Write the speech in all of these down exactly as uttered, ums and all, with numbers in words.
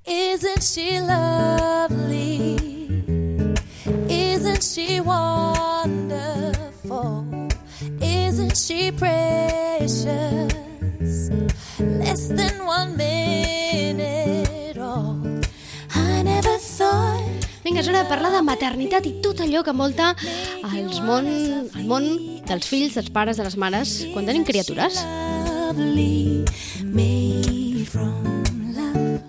Isn't she lovely? Isn't she wonderful? Isn't she precious? Less than one minute old. I never thought. Vinga, és hora de parlar de maternitat i tot allò que envolta els món, el món dels fills, dels pares, de les mares, quan tenim criatures. Lovely, made from love.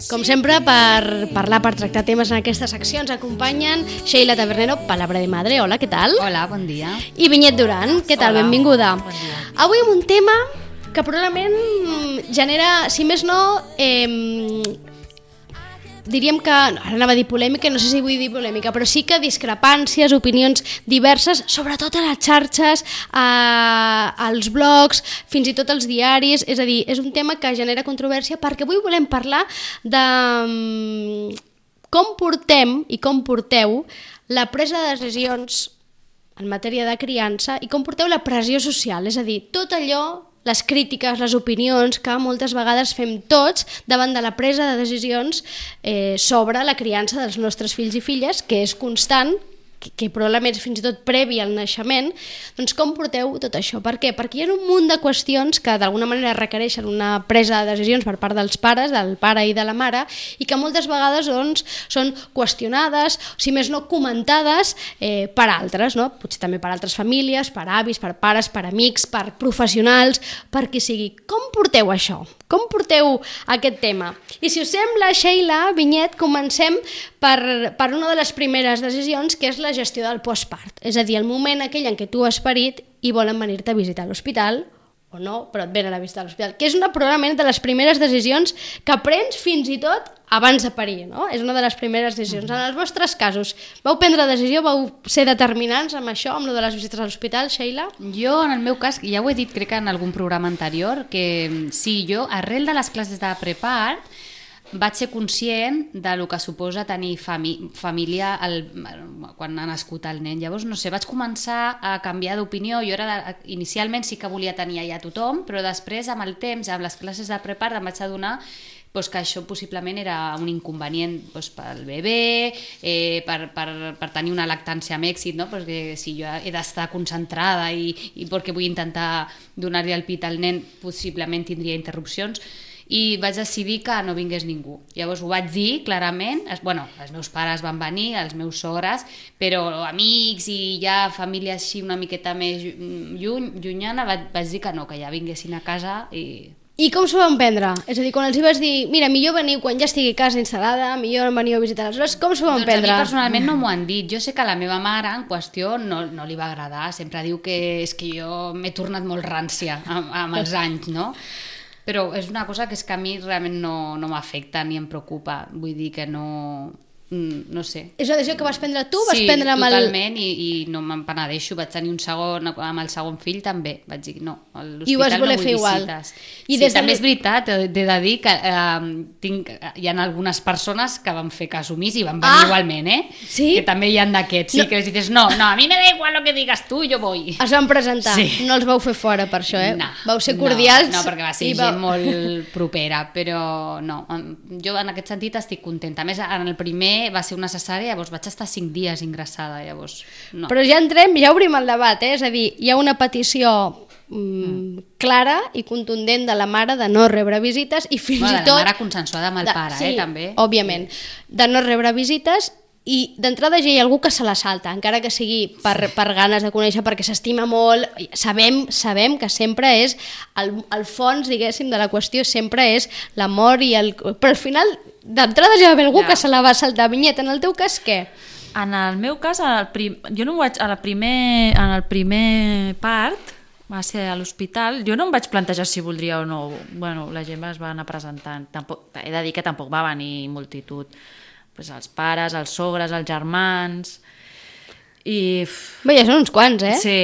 Com sempre, per parlar, per tractar temes en aquestes seccions, acompanyen Sheila Tabernero, Palabra de Madre. Hola, què tal? Hola, bon dia. I Vinyet Duran, què tal? Hola. Benvinguda. Bon dia. Avui amb un tema que probablement genera, si més no, eh, diríem que, no, ara anava a dir polèmica, no sé si vull dir polèmica, però sí que discrepàncies, opinions diverses, sobretot a les xarxes, a, als blogs, fins i tot als diaris. És a dir, és un tema que genera controvèrsia perquè avui volem parlar de um, com portem i com porteu la presa de decisions en matèria de criança i com porteu la pressió social, és a dir, tot allò, les crítiques, les opinions que moltes vegades fem tots davant de la presa de decisions eh, sobre la criança dels nostres fills i filles, que és constant, que, que probablement és fins i tot previ al naixement. Doncs com porteu tot això? Per què? Perquè hi ha un munt de qüestions que d'alguna manera requereixen una presa de decisions per part dels pares, del pare i de la mare, i que moltes vegades doncs, són qüestionades, o si més no comentades eh, per altres, no? Potser també per altres famílies, per avis, per pares, per amics, per professionals, per qui sigui. Com porteu això? Com porteu aquest tema? I si us sembla, Sheila, Vinyet, comencem per, per una de les primeres decisions, que és la gestió del postpart. És a dir, el moment aquell en què tu has parit i volen venir-te a visitar a l'hospital, o no, però et venen a visitar a l'hospital, que és una probablement de les primeres decisions que prens fins i tot abans de parir, no? És una de les primeres decisions. En els vostres casos, vau prendre decisió, vau ser determinants amb això, amb lo de les visites a l'hospital, Sheila? Jo, en el meu cas, ja ho he dit crec que en algun programa anterior, que sí, jo, arrel de les classes de prepart, vaig ser conscient de lo que suposa tenir fami família el, quan ha nascut el nen. Llavors, no sé, vaig començar a canviar d'opinió. Jo era, inicialment sí que volia tenir allà tothom, però després, amb el temps, amb les classes de prepart, em vaig adonar pues, que això possiblement era un inconvenient pues, pel bebè, eh, per, per, per tenir una lactància amb èxit, no? Perquè si jo he d'estar concentrada i, i perquè vull intentar donar-li el pit al nen, possiblement tindria interrupcions, i vaig decidir que no vingués ningú. Llavors ho vaig dir clarament, es, bueno, els meus pares van venir, els meus sogres, però amics i ja família així una miqueta més lluny, llunyana, vaig, vaig dir que no, que ja vinguessin a casa i... I com s'ho van prendre? És a dir, quan els hi vas dir, mira, millor veniu quan ja estigui a casa instal·lada, millor veniu a visitar les hores, com s'ho van doncs prendre? A mi personalment no m'ho han dit. Jo sé que a la meva mare en qüestió no, no li va agradar, sempre diu que és que jo m'he tornat molt rància amb, amb els anys, no? Però és una cosa que és que a mi realment no, no m'afecta ni em preocupa, vull dir que no... no sé. És una decisió que vas prendre tu? Vas sí, prendre amb totalment, el... i, i no me'n penedeixo. Vaig tenir un segon, amb el segon fill també, vaig dir no, a I ho vas l'hospital voler no fer vull igual. visites. I sí, des de també l- és veritat, he de dir que eh, tinc, hi ha algunes persones que van fer cas omís i van venir Ah! igualment, eh? Sí? Que també hi ha d'aquests, sí, No. que les dices, no, no, a mi me da igual lo que digas tu, jo voy. Es van presentar, Sí. no els vau fer fora per això, eh? No, Vau ser cordials. No, no, perquè va ser i gent vau- molt propera, però no, jo en aquest sentit estic contenta. A més, en el primer va ser una cesària, llavors vaig estar cinc dies ingressada, llavors no. Però ja entrem, ja obrim el debat, eh? És a dir, hi ha una petició mm, clara i contundent de la mare de no rebre visites i fins Bueno, i de tot... la mare consensuada amb el de, pare, sí, eh, també. òbviament, de no rebre visites. I d'entrada ja hi ha algú que se la salta, encara que sigui per, per ganes de conèixer, perquè s'estima molt. Sabem, sabem que sempre és, el, el fons, diguéssim, de la qüestió sempre és l'amor i el... Però al final, d'entrada ja va haver algú Ja. que se la va saltar. Vinyet, en el teu cas, què? En el meu cas, en el prim... jo no ho vaig... A la primer... en el primer part, va ser a l'hospital, jo no em vaig plantejar si voldria o no. Bueno, la gent es va anar presentant. Tampoc... He de dir que tampoc va venir multitud. Pues els pares, els sogres, els germans... I... Bé, ja són uns quants, eh? Sí,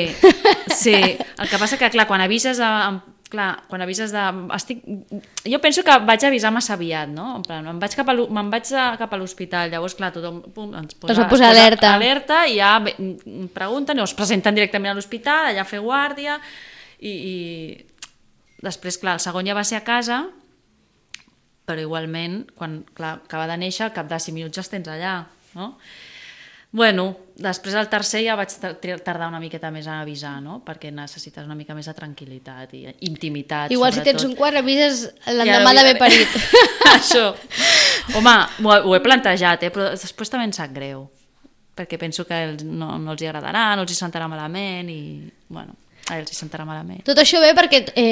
sí. El que passa que, clar, quan avises a, clar, quan avises de... Estic... Jo penso que vaig avisar massa aviat, no? En plan, me'n vaig cap a l'ho- me'n vaig a, cap a l'hospital, llavors, clar, tothom pum, ens posa, Es va posar es posa alerta. alerta i ja ve- em pregunten, o es presenten directament a l'hospital, allà a fer guàrdia, i, i després, clar, el segon ja va ser a casa, però igualment, quan clar, acaba de néixer, al cap de cinc minuts ja els tens allà, no? Bueno, després el tercer ja vaig tardar una miqueta més a avisar, no? Perquè necessites una mica més de tranquil·litat i intimitat. Igual sobretot. si tens un quart avises l'endemà d'haver parit. Això. Home, ho, ho he plantejat, eh? Però després també em sap greu, perquè penso que no, no els hi agradarà, no els hi sentarà malament i, bueno, a ells hi sentarà malament. Tot això ve perquè eh,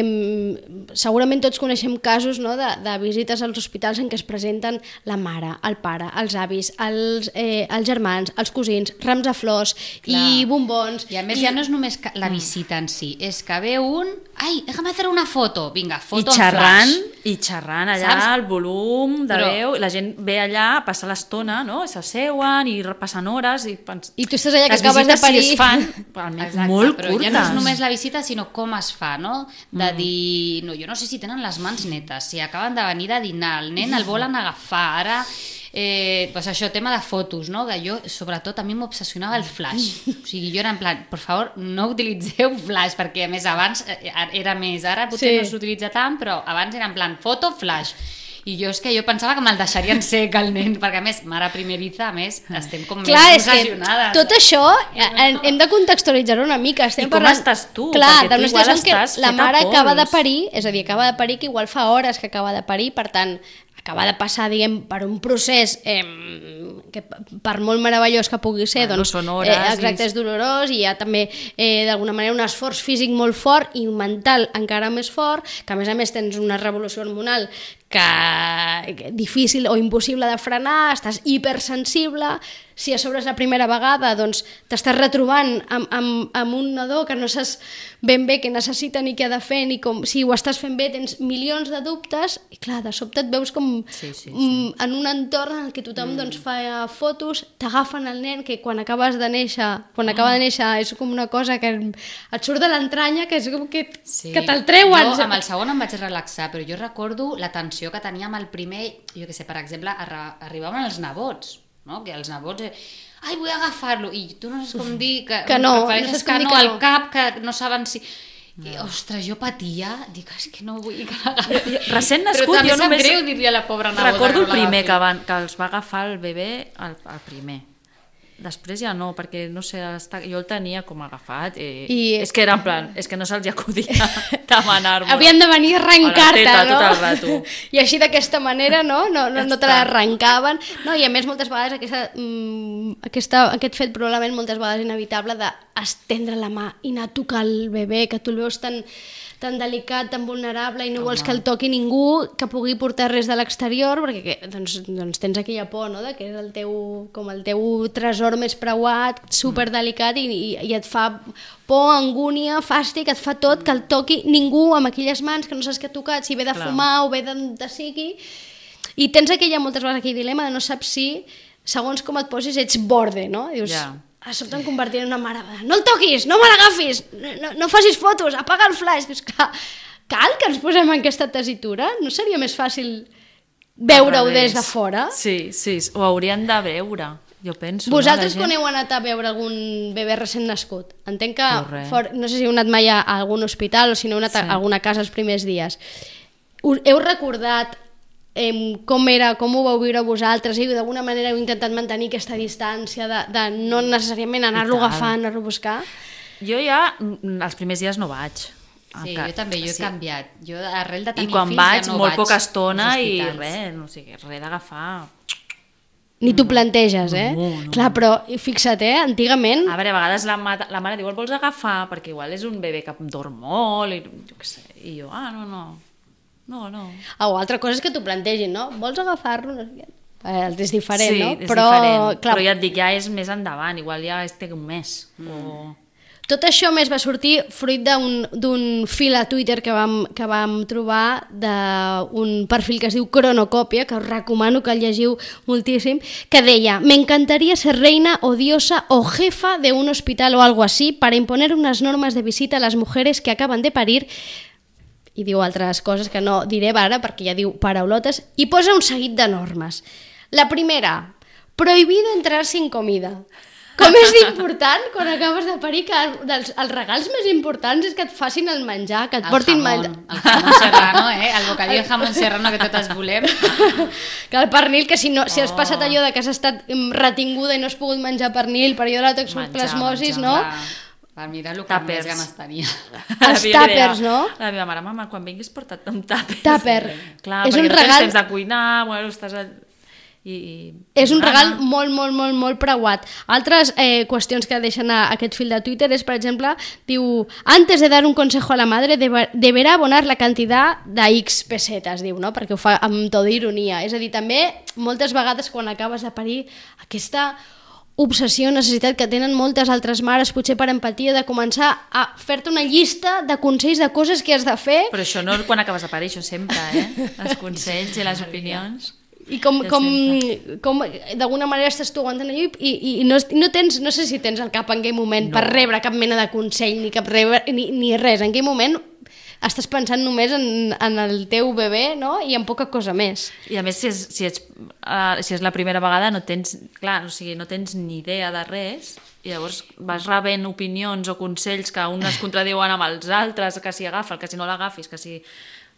segurament tots coneixem casos, no, de, de visites als hospitals en què es presenten la mare, el pare, els avis, els, eh, els germans, els cosins, rams de flors. Clar. I bombons. I a més i... ja no és només la visita en si, és que ve un... Ai, déjame hacer una foto. Vinga, foto I xerrant, en flash. I xerrant allà, saps? El volum de Però... veu, la gent ve allà a passar l'estona, no? S'asseuen i passen hores i... Pens... I tu estàs allà que les acabes de parir. Si es fan, Exacte, molt però curtes. Ja no és només la visita, sinó com es fa, no? De mm. dir, no, jo no sé si tenen les mans netes, si acaben de venir de dinar, el nen el volen agafar, ara... Eh, pues això, tema de fotos, no? Que jo, sobretot, a mi m'obsessionava el flash. O sigui, jo era en plan, per favor, no utilitzeu flash, perquè a més abans era més, ara potser sí. no s'utilitza tant, però abans era en plan foto, flash. I jo és que jo pensava que me'l deixarien sec el nen, perquè a més, mare primeriza, a més, estem com Clar, més obsessionades. Tot això hem de contextualitzar una mica. Estem I com parlant... estàs tu? Clar, perquè tu igual estàs la mare pols. acaba de parir, és a dir, acaba de parir que igual fa hores que acaba de parir, per tant, acaba de passar, diguem, per un procés eh, que per molt meravellós que pugui ser, bueno, doncs, són hores eh, exacte, és dolorós i hi ha també, eh, d'alguna manera, un esforç físic molt fort i mental encara més fort, que a més a més tens una revolució hormonal que, que difícil o impossible de frenar, estàs hipersensible, si a sobre és la primera vegada, doncs t'estàs retrobant amb, amb, amb un nadó que no saps ben bé què necessita ni què ha de fer, ni com, si ho estàs fent bé tens milions de dubtes, i clar, de sobte et veus com sí, sí, sí. Mm, en un entorn en què tothom mm. doncs, fa fotos, t'agafen el nen, que quan acabes de néixer, quan mm. acaba de néixer és com una cosa que et surt de l'entranya, que és com que, sí. que te'l treuen. Jo amb el segon em vaig relaxar, però jo recordo la tensió que tenia amb el primer, jo què sé, per exemple, arri arribaven els nebots, no? Que els nebots... Eh, ai, vull agafar-lo, i tu no saps com dir que, que no, prefereixes no que no, que al no. cap, que no saben si... I, ostres, jo patia, dic, és que no vull que l'agafi. Recent nascut, però també jo només... greu dir-li a la pobra neboda. Recordo el no primer que, van, que els va agafar el bebè, el, el primer. Després ja no, perquè no sé, jo el tenia com agafat i, I... és que era en plan, és que no se'ls acudia demanar-me. Havien de venir a arrencar-te, no? Tot el rato. I així d'aquesta manera, no? No, no, no te l'arrencaven. No, i a més moltes vegades aquesta, mm, aquesta, aquest fet probablement moltes vegades inevitable d'estendre la mà i anar a tocar el bebè, que tu el veus tan, tan delicat, tan vulnerable i no Home. vols que el toqui ningú que pugui portar res de l'exterior, perquè que, doncs, doncs tens aquella por, no?, de que és el teu, com el teu tresor més preuat, superdelicat i, i, i et fa por, angúnia, fàstic, et fa tot que el toqui ningú amb aquelles mans que no saps què ha tocat, si ve de Clar. fumar o ve de, de sigui, i tens aquella moltes vegades aquell dilema de no saps si, segons com et posis, ets borde, no? Dius, yeah. a sobte em convertiré en una mare, no el toquis, no me l'agafis, no, no facis fotos, apaga el flash. Dius, clar, cal que ens posem en aquesta tessitura? No seria més fàcil veure-ho des de fora? Sí, sí, ho haurien de veure, jo penso. Vosaltres no, quan heu anat a veure algun bebè recent nascut? Entenc que, for, no sé si heu anat mai a algun hospital o si no heu anat sí. a alguna casa els primers dies. Us, heu recordat Eh, com era, com ho vau viure vosaltres i d'alguna manera heu intentat mantenir aquesta distància de, de no necessàriament anar-lo agafant, anar-lo a buscar? Jo ja els primers dies no vaig. Sí, jo també, jo he sí. canviat. Jo arrel de tenir I quan fills vaig, ja no molt vaig poca estona i res, no sé, res d'agafar. Ni t'ho planteges, eh? No, no. Clar, però fixa't, eh? Antigament... A veure, a vegades la, ma la mare diu, el vols agafar? Perquè igual és un bebè que dorm molt i jo què sé. I jo, ah, no, no. No, no. O altra cosa és que t'ho plantegin, no? Vols agafar-lo? No sé què. Eh, és diferent, sí, no? és però, diferent. Clar, però ja et dic, ja és més endavant, igual ja té un mes. Mm. O... Tot això més va sortir fruit d'un fil a Twitter que vam, que vam trobar d'un perfil que es diu Cronocòpia, que us recomano que el llegiu moltíssim, que deia: me encantaría ser reina o diosa o jefa de un hospital o algo así para imponer unas normas de visita a las mujeres que acaban de parir, i diu altres coses que no diré ara perquè ja diu paraulotes, i posa un seguit de normes. La primera, prohibido entrar sin comida. com és important quan acabes de parir que dels, els regals més importants és que et facin el menjar, que et El portin jamón, menjar. el jamón serrano, eh? El bocadillo de jamón serrano que totes volem. Que el pernil, que si, no, si has passat allò de que has estat mm, retinguda i no has pogut menjar pernil per allò de la toxoplasmosis, menjar, no? Va, mira el que Tàpers. més ganes tenia. Els La meva tàpers, idea. no? La meva mare, mama, quan vinguis porta't un tàper. Tàper. Clar, És perquè un no tens regal- temps de cuinar, bueno, estàs... A... I, i... És un Gana. regal molt, molt, molt, molt preuat. Altres eh, qüestions que deixen a aquest fil de Twitter és, per exemple, diu, antes de dar un consejo a la madre deba, deberá abonar la cantidad de X pesetes, diu, no? Perquè ho fa amb tota ironia. És a dir, també, moltes vegades quan acabes de parir, aquesta obsessió, necessitat que tenen moltes altres mares, potser per empatia, de començar a fer-te una llista de consells de coses que has de fer. Però això no quan acabes de parir, això sempre, eh? Els consells i les opinions. I com, Ja com, com d'alguna manera estàs tu aguantant allò i, i, i no, no, tens, no sé si tens el cap en aquell moment no. per rebre cap mena de consell ni, cap rebre, ni, ni res, en aquell moment estàs pensant només en, en el teu bebè, no? I en poca cosa més. I a més, si és, si ets, uh, si és la primera vegada, no tens, clar, o sigui, no tens ni idea de res, i llavors vas rebent opinions o consells que uns es contradiuen amb els altres, que si agafa'l, que si no l'agafis, que si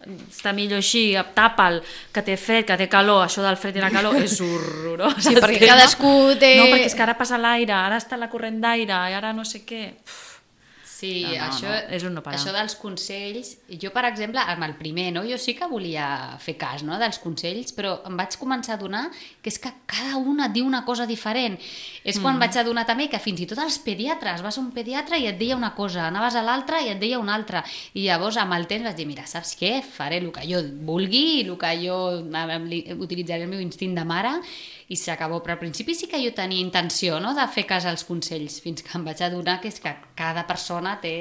està millor així, tapa'l, que té fred, que té calor, això del fred i la calor és horrorós. Sí, perquè cadascú té... No, perquè és que ara passa l'aire, ara està la corrent d'aire, i ara no sé què... Uf. Sí, No, no, això, no, és un no parar. això dels consells, jo per exemple, amb el primer, no? Jo sí que volia fer cas, no? dels consells, però em vaig començar a adonar que és que cada una et diu una cosa diferent. És quan mm. vaig adonar també que fins i tot els pediatres, vas a un pediatre i et deia una cosa, anaves a l'altre i et deia una altra, i llavors amb el temps vaig dir, mira, saps què? Faré el que jo vulgui, el que jo utilitzaré el meu instint de mare, i s'acabó, però al principi sí que jo tenia intenció, no?, de fer cas als consells, fins que em vaig adonar que és que cada persona té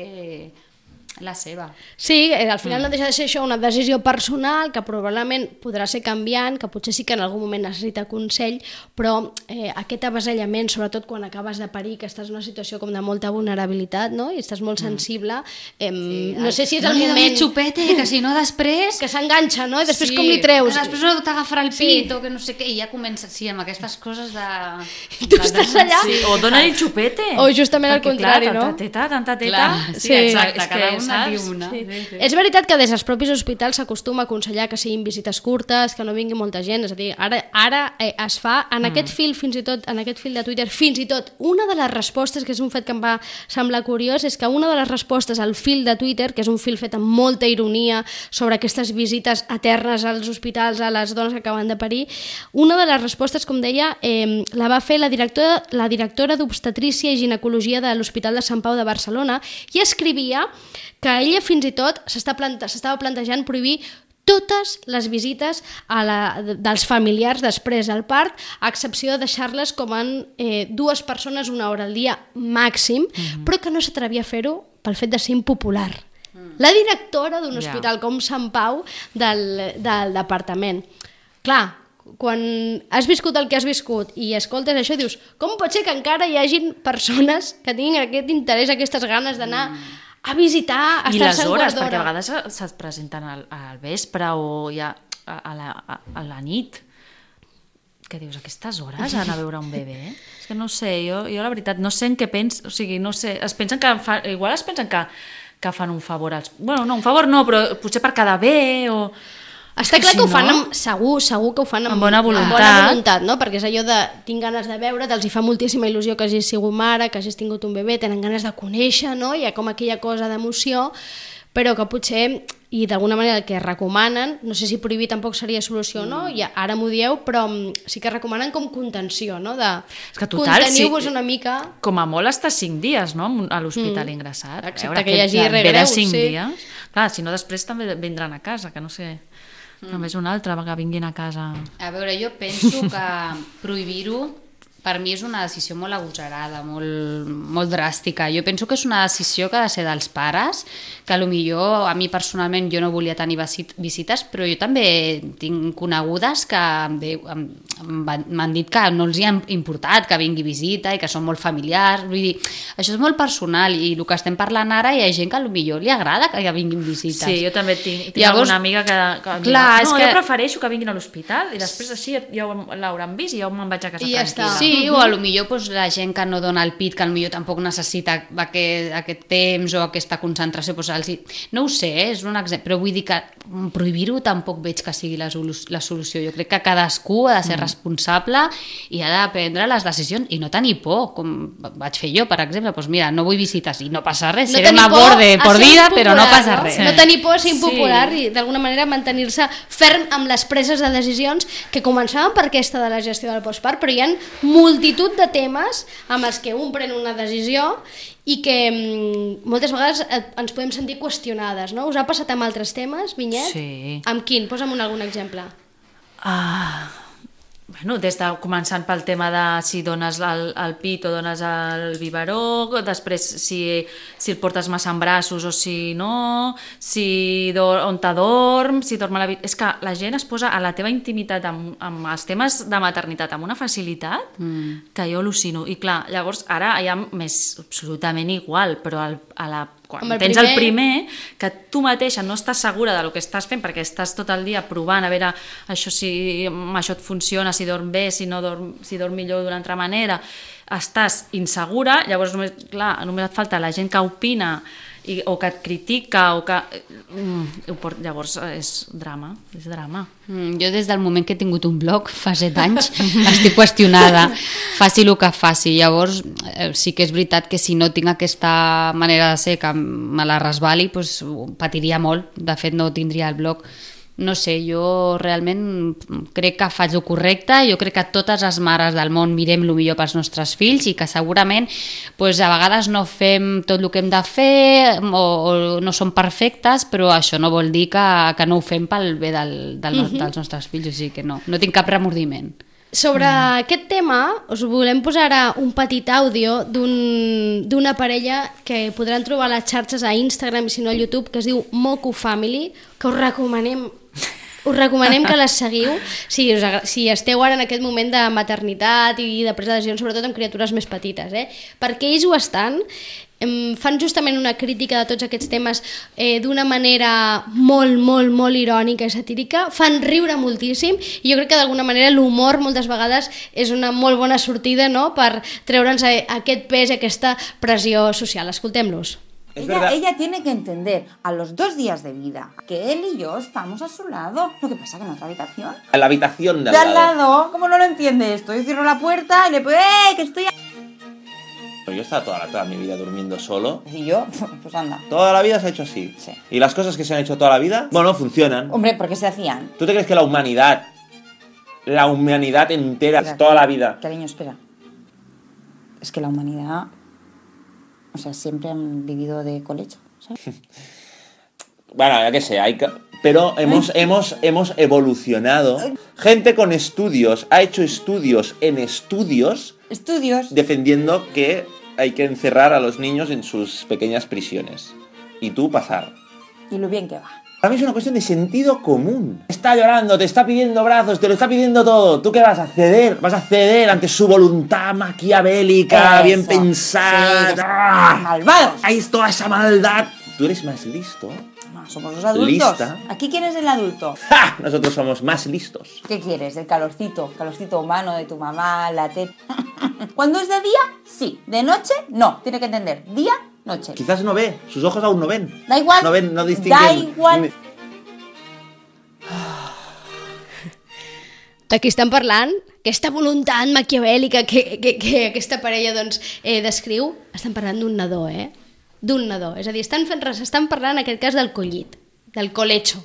la seva. Sí, al final mm. no deixa de ser això una decisió personal que probablement podrà ser canviant, que potser sí que en algun moment necessita consell, però eh, aquest avasallament, sobretot quan acabes de parir, que estàs en una situació com de molta vulnerabilitat, no?, i estàs molt sensible, eh, sí, no sé si és no el li moment... doni xupete, que si no després... que s'enganxa, no?, i després sí, com li treus? que després no t'agafarà el pit, Sí. o que no sé què, i ja comença, sí, amb aquestes coses de... Tu estàs allà... Sí, o dona-li xupete. O justament al Perquè, contrari, clar, no? Tanta teta, tanta teta... Clar, sí, Sí. exacte, És que, cada una saps? diu una. Sí. Sí, sí. És veritat que des dels propis hospitals s'acostuma a aconsellar que siguin visites curtes, que no vingui molta gent, és a dir, ara, ara eh, es fa en mm. aquest fil, fins i tot, en aquest fil de Twitter, fins i tot, una de les respostes, que és un fet que em va semblar curiós, és que una de les respostes al fil de Twitter, que és un fil fet amb molta ironia sobre aquestes visites eternes als hospitals, a les dones que acaben de parir, una de les respostes, com deia, eh, la va fer la directora, la directora d'Obstetrícia i Ginecologia de l'Hospital de Sant Pau de Barcelona, i escrivia que ella fins i tot s'estava plante plantejant prohibir totes les visites a la, dels familiars després del part, a excepció de deixar-les com en eh, dues persones una hora al dia màxim, mm-hmm. però que no s'atrevia a fer-ho pel fet de ser impopular. Mm. La directora d'un hospital yeah. com Sant Pau del, del departament. Clar, quan has viscut el que has viscut i escoltes això, dius, com pot ser que encara hi hagin persones que tinguin aquest interès, aquestes ganes d'anar mm. a visitar, a I estar-se les un hores, quart d'hora. perquè a vegades se't presenten al, al vespre o ja a, a, la, a, a la nit, que dius, aquestes hores anar a veure un bebè? És que no sé, jo, jo la veritat no sé en què pens, o sigui, no sé, es pensen que fa, igual es pensen que, que fan un favor als... Bueno, no, un favor no, però potser per quedar bé o... Està que clar si que ho fan no, amb, segur, segur que ho fan amb, amb bona voluntat. amb bona voluntat, no? Perquè és allò de tinc ganes de veure, els hi fa moltíssima il·lusió que hagis sigut mare, que hagis tingut un bebè, tenen ganes de conèixer, no? Hi ha com aquella cosa d'emoció, però que potser, i d'alguna manera el que recomanen, no sé si prohibir tampoc seria solució o no, ja, ara m'ho dieu, però sí que recomanen com contenció, no? De És que total, conteniu-vos sí, una mica... Com a molt està cinc dies, no?, a l'hospital mm. ingressat. Excepte veure, que hi hagi ve regreu, de cinc sí. dies. Clar, si no després també vindran a casa, que no sé... Mm. Només una altra que vinguin a casa. A veure, jo penso que prohibir-ho per mi és una decisió molt agosarada, molt, molt dràstica. Jo penso que és una decisió que ha de ser dels pares, que potser a mi personalment jo no volia tenir visites, però jo també tinc conegudes que m'han dit que no els hi ha importat que vingui visita i que són molt familiars. Vull dir, això és molt personal i el que estem parlant ara hi ha gent que potser li agrada que vinguin visites. Sí, jo també tinc, tinc Llavors, alguna amiga que, que clar, diu, no, és que... jo prefereixo que vinguin a l'hospital i després així ja l'hauran vist i ja me'n vaig a casa I ja tranquil·la. Sí, Sí, uh-huh. o a lo millor pues, la gent que no dona el pit, que a lo millor tampoc necessita aquest, aquest temps o aquesta concentració, pues, els... no ho sé, eh? És un exemple, però vull dir que prohibir-ho tampoc veig que sigui la, la solució. Jo crec que cadascú ha de ser mm. responsable i ha de prendre les decisions i no tenir por, com vaig fer jo, per exemple, pues mira, no vull visites i no passa res, no seré una borde por vida, però no passa no? res. Sí. No tenir por a ser impopular sí. i d'alguna manera mantenir-se ferm amb les preses de decisions que començaven per aquesta de la gestió del postpart, però hi ha multitud de temes amb els que un pren una decisió i que mm, moltes vegades ens podem sentir qüestionades, no? Us ha passat amb altres temes, Vinyet? Sí. Amb quin? Posa'm un, algun exemple. Ah... Bueno, des de començant pel tema de si dones el, el pit o dones el biberó, després si, si el portes massa en braços o si no, si do, on t'adorm, si dorm a la... És que la gent es posa a la teva intimitat amb, amb els temes de maternitat amb una facilitat mm. que jo al·lucino. I clar, llavors ara ja m'és absolutament igual, però al, a la quan el tens primer... el primer, que tu mateixa no estàs segura del que estàs fent perquè estàs tot el dia provant a veure això si això et funciona, si dorm bé, si no dorm, si dorm millor d'una altra manera, estàs insegura, llavors només, clar, només et falta la gent que opina i, o que et critica o que... Mm, llavors és drama, és drama. Mm, jo des del moment que he tingut un blog, fa set anys, estic qüestionada, faci el que faci. Llavors eh, sí que és veritat que si no tinc aquesta manera de ser que me la resbali, pues, patiria molt. De fet no tindria el blog. No sé, jo realment crec que faig el correcte, jo crec que totes les mares del món mirem el millor pels nostres fills i que segurament pues, a vegades no fem tot el que hem de fer o, o no som perfectes, però això no vol dir que, que no ho fem pel bé del, del, uh-huh. dels nostres fills, o sigui que no, no tinc cap remordiment. Sobre mm. aquest tema us volem posar ara un petit àudio d'un, d'una parella que podran trobar a les xarxes a Instagram i si no a YouTube, que es diu Moku Family, que us recomanem us recomanem que les seguiu si, us, si esteu ara en aquest moment de maternitat i de presa de decisions, sobretot amb criatures més petites, eh? perquè ells ho estan, fan justament una crítica de tots aquests temes eh, d'una manera molt, molt, molt irònica i satírica, fan riure moltíssim i jo crec que d'alguna manera l'humor moltes vegades és una molt bona sortida, no?, per treure'ns aquest pes i aquesta pressió social. Escoltem-los. Ella, ella tiene que entender a los dos días de vida que él y yo estamos a su lado. Lo que pasa que en otra habitación. En la habitación de al, de al lado. lado. ¿Cómo no lo entiende esto? Yo cierro la puerta y le puedo... ¡Eh, que estoy... Yo he estado toda, la, toda mi vida durmiendo solo. ¿Y yo? Pues anda. Toda la vida se ha hecho así. Sí. Y las cosas que se han hecho toda la vida, bueno, funcionan. Hombre, ¿por qué se hacían? ¿Tú te crees que la humanidad, la humanidad entera, espera, toda la vida... Cariño, espera. Es que la humanidad... O sea, siempre han vivido de colecho, ¿sabes? Bueno, ya que sé, hay que... pero hemos, hemos, hemos evolucionado. Gente con estudios ha hecho estudios en estudios... Estudios. Defendiendo que hay que encerrar a los niños en sus pequeñas prisiones. Y tú pasar. Y lo bien que va. Para mí es una cuestión de sentido común. Está llorando, te está pidiendo brazos, te lo está pidiendo todo. ¿Tú qué vas a ceder? Vas a ceder ante su voluntad maquiavélica, eso, bien pensada. Sí, ¡ah! Malvados. Ahí es toda esa maldad. Tú eres más listo. No, somos los adultos. Lista. ¿Aquí quién es el adulto? ¡Ja! Nosotros somos más listos. ¿Qué quieres? El calorcito, calorcito humano de tu mamá, la teta. Cuando es de día, sí. De noche, no. Tiene que entender. Día, noche. Quizás no ve, sus ojos aún no ven. Da igual. No ven, no distinguen. Da igual. D'aquí estan parlant, aquesta voluntat maquiavèlica que, que, que aquesta parella doncs, eh, descriu, estan parlant d'un nadó, eh? D'un nadó. És a dir, estan, fent, estan parlant en aquest cas del collit, del colecho.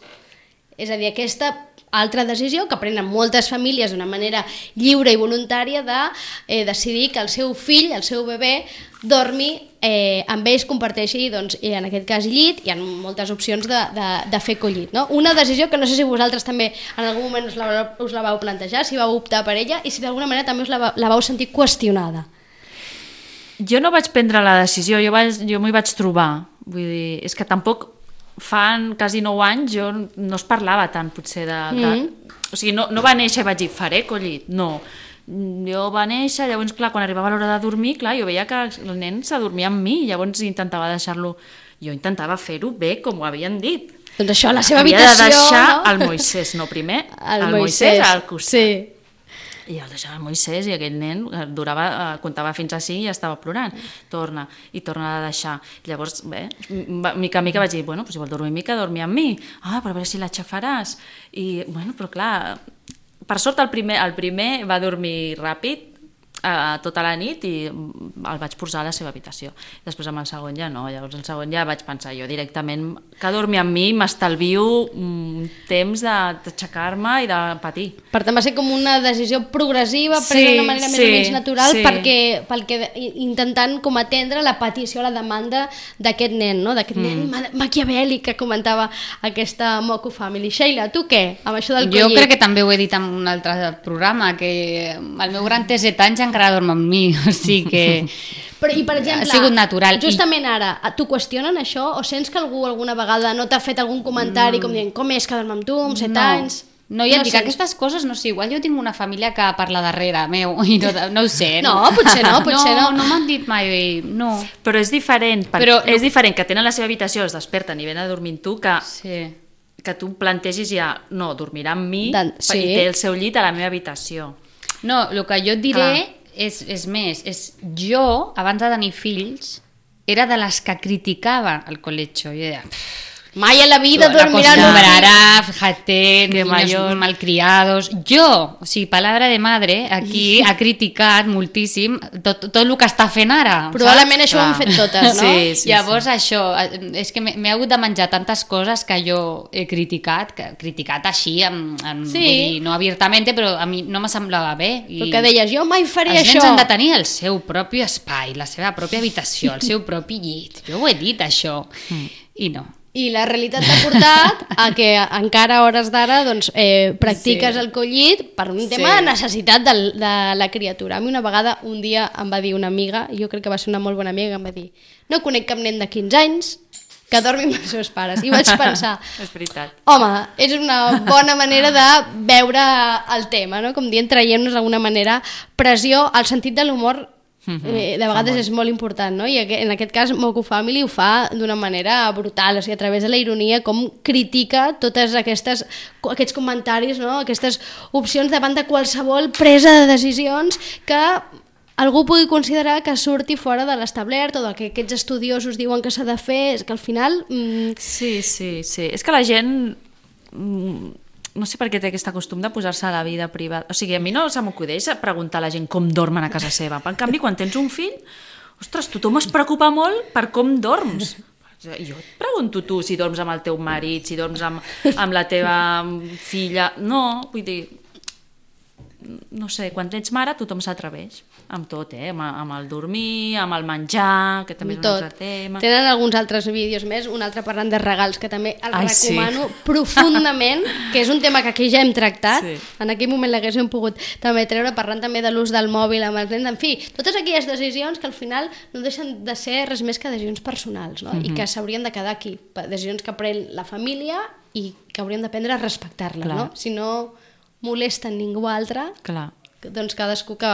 És a dir, aquesta altra decisió que prenen moltes famílies d'una manera lliure i voluntària de eh, decidir que el seu fill, el seu bebè, dormi eh, amb ells, comparteixi, doncs, en aquest cas llit, hi ha moltes opcions de, de, de fer collit, no? Una decisió que no sé si vosaltres també en algun moment us la, us la vau plantejar, si vau optar per ella i si d'alguna manera també us la, la vau sentir qüestionada. Jo no vaig prendre la decisió, jo, vaig, jo m'hi vaig trobar, vull dir, és que tampoc fan quasi nou anys jo no es parlava tant potser de... de mm-hmm. O sigui, no, no va néixer i vaig dir, faré collit, no. Jo va néixer, llavors, clar, quan arribava l'hora de dormir, clar, jo veia que el nen s'adormia amb mi, llavors intentava deixar-lo... Jo intentava fer-ho bé, com ho havien dit. Doncs això, la seva Havia habitació... Havia de deixar no? el Moisès, no primer, el, el Moisès, Moisès al costat. Sí. I el deixava el Moisès i aquell nen durava, comptava fins a cinc i ja estava plorant. Torna, i torna a deixar. Llavors, bé, mica a mica vaig dir, bueno, pues si vol dormir mica, dormi amb mi. Ah, però a veure si l'aixafaràs. I, bueno, però clar, per sort el primer, el primer va dormir ràpid, Uh, tota la nit i el vaig posar a la seva habitació. Després amb el segon ja no, llavors el segon ja vaig pensar jo directament que dormir amb mi m'estalvio un temps d'aixecar-me i de patir. Per tant va ser com una decisió progressiva, Sí, presa d'una manera sí, més o menys natural, sí. perquè, perquè intentant com atendre la petició, la demanda d'aquest nen, no? d'aquest nen Mm. ma- maquiavèlic que comentava aquesta Moco Family. Sheila, tu què? Amb això del Jo collit? crec que també ho he dit en un altre programa, que el meu gran té set anys encara dorm amb mi, o sigui que... Però, i per exemple, Ha sigut natural. justament ara, t'ho qüestionen això o sents que algú alguna vegada no t'ha fet algun comentari com dient com és que dorm amb tu amb set no. anys? No, ja et dic, sents? aquestes coses, no sé, igual jo tinc una família que parla darrere meu, i no, no ho sé. No, potser no, potser no. No, no m'han dit mai, no. Però és diferent, per, Però- és diferent que tenen la seva habitació, es desperten i venen a dormir amb tu, que, Sí. que tu plantegis ja, no, dormirà amb mi Dan- sí. i té el seu llit a la meva habitació. No, el que jo et diré és, és més, és jo, abans de tenir fills, era de les que criticava el colecho. Jo deia, Mai a la vida dormirà en un acostumbrará, fíjate, Que niños mayor. malcriados. Jo, o sigui, palabra de madre, aquí ha criticat moltíssim tot, tot el que està fent ara. Probablement saps? això ho hem fet totes, no? Sí, sí, Llavors sí. això, és que m'he m'he hagut de menjar tantes coses que jo he criticat, que criticat així, amb, amb, Sí. vull dir, no abiertament, però a mi no me semblava bé. I Perquè deies, jo mai faria els això. nens han de tenir el seu propi espai, la seva pròpia habitació, el seu propi llit. Jo ho he dit, això. Mm. I no. I la realitat t'ha portat a que encara a hores d'ara doncs, eh, practiques Sí. el collit per un tema Sí. de necessitat de, de la criatura. A mi una vegada, un dia em va dir una amiga, jo crec que va ser una molt bona amiga, em va dir, no conec cap nen de quinze anys que dormi amb els seus pares. I vaig pensar, És veritat. home, és una bona manera de veure el tema, no? Com dient, traient-nos d'alguna manera pressió, el sentit de l'humor eh, de vegades és molt important, no? I en aquest cas Moco Family ho fa d'una manera brutal, o sigui, a través de la ironia, com critica totes aquestes, aquests comentaris, no? Aquestes opcions davant de qualsevol presa de decisions que algú pugui considerar que surti fora de l'establert o que aquests estudiosos diuen que s'ha de fer, és que al final... Mm, Sí, sí, sí. És que la gent... mm, no sé per què té aquest costum de posar-se a la vida privada. O sigui, a mi no se m'acudeix preguntar a la gent com dormen a casa seva. En canvi, quan tens un fill, ostres, tothom es preocupa molt per com dorms. Jo et pregunto tu si dorms amb el teu marit, si dorms amb, amb la teva filla... No, vull dir... No sé, quan ets mare tothom s'atreveix amb tot, eh? Amb, amb el dormir, amb el menjar, que també és un tot. altre tema. Tenen alguns altres vídeos més, un altre parlant de regals que també el Ai, sí. recomano profundament, que és un tema que aquí ja hem tractat, Sí. en aquell moment l'haguéssim pogut també treure, parlant també de l'ús del mòbil amb els nens, en fi, totes aquelles decisions que al final no deixen de ser res més que decisions personals, no? I que s'haurien de quedar aquí, decisions que pren la família i que hauríem d'aprendre a respectar-les, Clar. no? Si no molesten ningú altre, Clar. doncs cadascú que,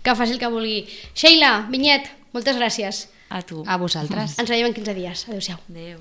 que faci el que vulgui. Sheila, Vinyet, moltes gràcies. A tu. A vosaltres. Ens veiem en quinze dies. Adéu-siau. Adéu.